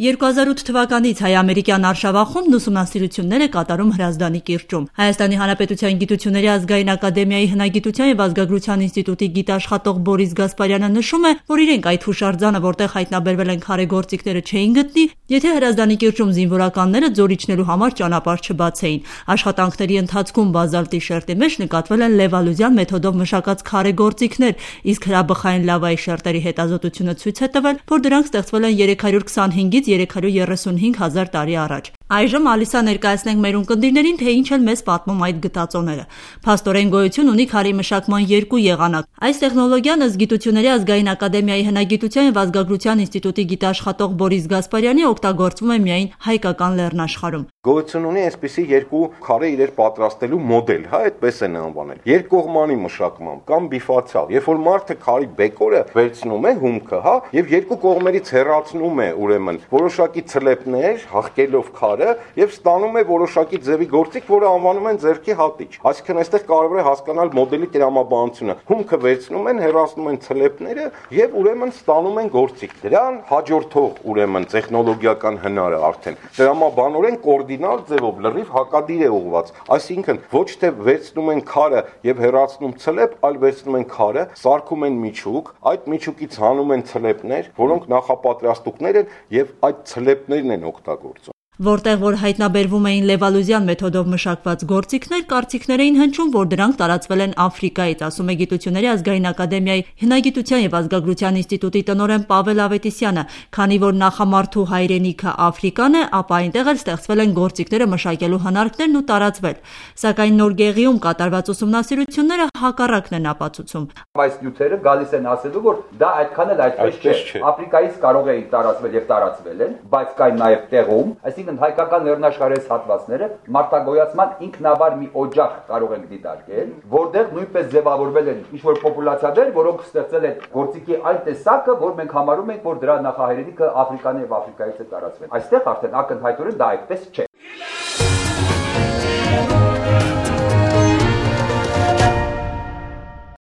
2008 թվականից հայ-ամերիկյան արշավախումբն ուսումնասիրություններ է կատարում Հրազդանի կիրճում։ Հայաստանի Հանրապետության Գիտությունների ազգային ակադեմիայի հնագիտության և ազգագրության ինստիտուտի գիտաշխատող Բորիս Գասպարյանը նշում է, որ իրենք այդ հուշարձանը, որտեղ հայտնաբերվել են քարե գործիքները, չէին գտնի, եթե Հրազդանի կիրճում զինվորականները ձոր իջնելու համար ճանապարհ չբացեին։ Աշխատանքների ընթացքում բազալտի շերտի մեջ նկատվել են Լևալուզյան մեթոդով մշակած քարե գործիքներ, իսկ հրաբխային լավայի շերտերի հետազոտությունը ցույց է տվել, որ դրանք ստեղծվել են 325-ից 335 հազար տարի առաջ։ Այժմ Ալիսա ներկայացնենք մեր ունկնդիրներին, թե ինչ են մեզ պատմում այդ գտածոները։ Փաստորեն գոյություն ունի քարի մշակման երկու եղանակ։ Այս տեխնոլոգիան ըստ Գիտությունների ազգային ակադեմիայի հնագիտության և ազգագրության ինստիտուտի գիտաշխատող Բորիս Գասպարյանի օգտագործվում է միայն հայկական լեռնաշխարհում։ Գոյություն ունի այսպիսի երկու քարե իրեր պատրաստելու մոդել, այդպես են անվանել։ Երկկողմանի մշակմամբ կամ բիֆացիալ, երբ որ մարդը քարի բեկորը վերցնում է հումքը, եւ երկու կողմերից հեռացնում է ուրեմն որոշակի ցլեպներ, հաղկելով քարը եւ ստանում է որոշակի ձևի գործիք, որը անվանում են ձեռքի հատիչ։ Այսինքն այստեղ կարևոր է հասկանալ մոդելի տրամաբանությունը։ Հումքը վերցնում են, հեռացնում են ցլեպները եւ ուրեմն ստանում են գործիք։ Դրան հաջորդող ուրեմն տեխնոլոգիական հնարը արդեն տրամաբանորեն կոորդինալ ձևով լրիվ հակադիր է ուղղված։ Այսինքն ոչ թե վերցնում են քարը եւ հեռացնում ցլեպ, այլ վերցնում են քարը, սարքում են միջուկ, այդ միջուկից հանում են ցլեպներ, որոնք նախապատրաստուկներ են եւ այդ ցլեպներն են օգտագործում։ Որտեղ որ հայտնաբերվում էին Լևալուզյան մեթոդով մշակված գործիքներ, կարծիքներ էին հնչում, որ դրանք տարածվել են Աֆրիկայից, ասում է Գիտությունների ազգային ակադեմիայի հնագիտության և ազգագրության ինստիտուտի տնօրեն Պավել Ավետիսյանը, քանի որ նախամարդու հայրենիքը Աֆրիկան է, ապա այնտեղ էլ ստեղծվել են գործիքները մշակելու հնարքներն ու տարածվել։ Սակայն Նոր Գեղիում կատարված ուսումնասիրությունները հակառակն են ապացուցում։ Այս նյութերը գալիս են ասելու, որ դա այդքան էլ այդպես չէ։ Աֆրիկայից կարող էին տարածվել եւ տարածվել են, բայց կային նաեւ տեղում, այսինքն հայկական լեռնաշխարհի հատվածները մարտագոյացման ինքնաբար մի օջախ կարող են դիտարկել, որտեղ նույնպես ձևավորվել են ինչ-որ պոպուլացիաներ, որոնք ստեղծել են գործիքի այն տեսակը, որ մենք համարում ենք, որ դրա նախահայրենիքը Աֆրիկան եւ Աֆրիկայից է տարածվել։ Այստեղ արդեն ակնհայտորեն դա այդպես չէ։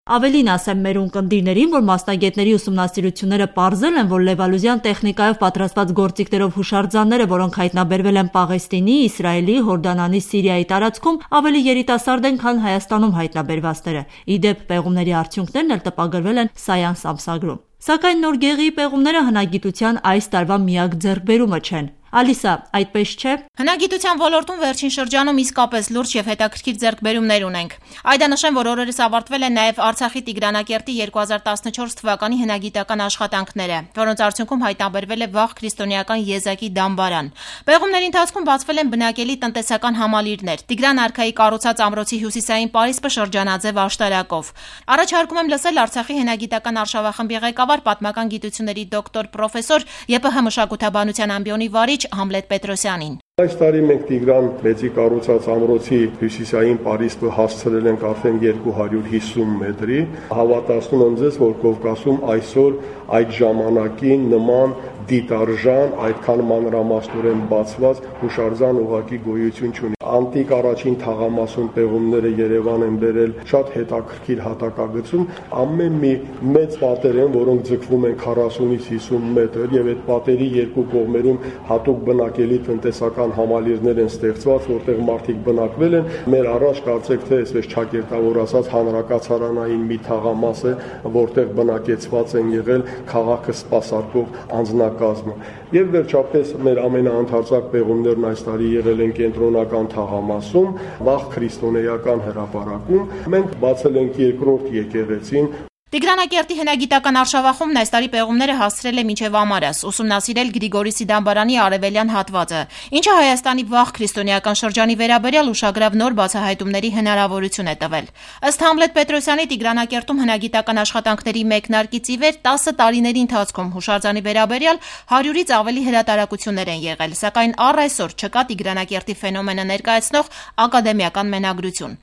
Ավելին ասեմ մեր ունկնդիրներին, որ մասնագետների ուսումնասիրությունները պարզել են, որ Լևալուզյան տեխնիկայով պատրաստված գործիքներով հուշարձանները, որոնք հայտնաբերվել են Պաղեստինի, Իսրայելի, Հորդանանի, Սիրիայի տարածքում, ավելի երիտասարդ են, քան Հայաստանում հայտնաբերվածները։ Ի դեպ, պեղումների արդյունքներն էլ տպագրվել են Science ամսագրում։ Սակայն Նոր Գեղիի պեղումները հնագիտության այս տարվա միակ ձեռքբերումը չեն։ Ալիսա, այդպես չէ։ Հնագիտության ոլորտում վերջին շրջանում իսկապես լուրջ եւ հետաքրքիր ձեռքբերումներ ունենք։ Այդանշեմ, որ օրերս ավարտվել են նաեւ Արցախի Տիգրանակերտի 2014 թվականի հնագիտական աշխատանքները, որոնց արդյունքում հայտնաբերվել է վաղ քրիստոնեական եզակի դամբարան։ Պեղումների ընթացքում բացվել են բնակելի տնտեսական համալիրներ, Տիգրան արքայի կառուցած ամրոցի հյուսիսային պարիսպը շրջանաձև աշտարակով։ Առաջարկում եմ լսել Արցախի հնագիտական արշավախմբի ղեկավար պատմական գիտությունների դոկտոր պրոֆեսոր ԵՊՀ մշակութաբանության ամբիոնի վարիչ Համլետ Պետրոսյանին։ Այս տարի մենք Տիգրան մեծի կառուցած ամրոցի հյուսիսային պարիսպը հասցրել ենք արդեն 250 մետրի։ Հավատացնում եմ ձեզ, որ Կովկասում այսօր այդ ժամանակին նման դիտարժան, այդքան մանրամասնորեն բացված հուշարձան ուղղակի գոյություն չունի։ Անտիկ առաջին թաղամասում պեղումները Երևան են բերել շատ հետաքրքիր հատակագծում, ամեն մի մեծ պատեր են, որոնք ձգվում են 40-ից 50 մետր եւ այդ պատերի երկու կողմերում հատուկ բնակելի տնտեսական համալիրներ են ստեղծված, որտեղ մարդիկ բնակվել են։ Մեր առաջ կարծեք թե այսպես ճակերտավոր ասած հանրակացարանային մի թաղամաս է, որտեղ բնակեցված են եղել քաղաքը սպասարկող անձնակազմը։ Եվ վերջապես մեր ամենաընդարձակ պեղումներն այս տարի եղել են կենտրոնական թաղամասում, վաղ քրիստոնեական հրապարակում։ Մենք բացել ենք երկրորդ եկեղեցին։ Տիգրանակերտի հնագիտական արշավախումբն այս տարի պեղումները հասցրել է մինչև Ամարաս, ուսումնասիրել Գրիգորիսի դամբարանի արևելյան հատվածը, ինչը Հայաստանի վաղ քրիստոնեական շրջանի վերաբերյալ ուշագրավ նոր բացահայտումների հնարավորություն է տվել։ Ըստ Համլետ Պետրոսյանի, Տիգրանակերտում հնագիտական աշխատանքների մեկնարկից ի վեր 10 տարիների ընթացքում հուշարձանի վերաբերյալ 100-ից ավելի հրատարակություններ են եղել, սակայն առ այսօր չկա Տիգրանակերտի ֆենոմենը ներկայացնող ակադեմիական մենագրություն։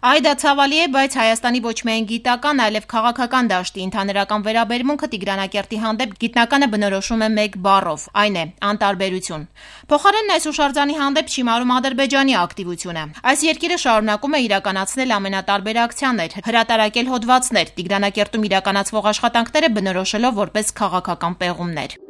Այ դա ցավալի է, բայց Հայաստանի ոչ միայն գիտական, այլև քաղաքական դաշտի ընդհանրական վերաբերմունքը Տիգրանակերտի հանդեպ գիտնականը բնորոշում է մեկ բառով, այն է անտարբերություն։ Փոխարենն այս հուշարձանի հանդեպ չիմարում Ադրբեջանի ակտիվությունը։ Այս երկիրը շարունակում է իրականացնել ամենատարբեր ակցիաներ, հրատարակել հոդվածներ, Տիգրանակերտում իրականացվող աշխատանքները բնորոշելով որպես քաղաքական պեղումներ։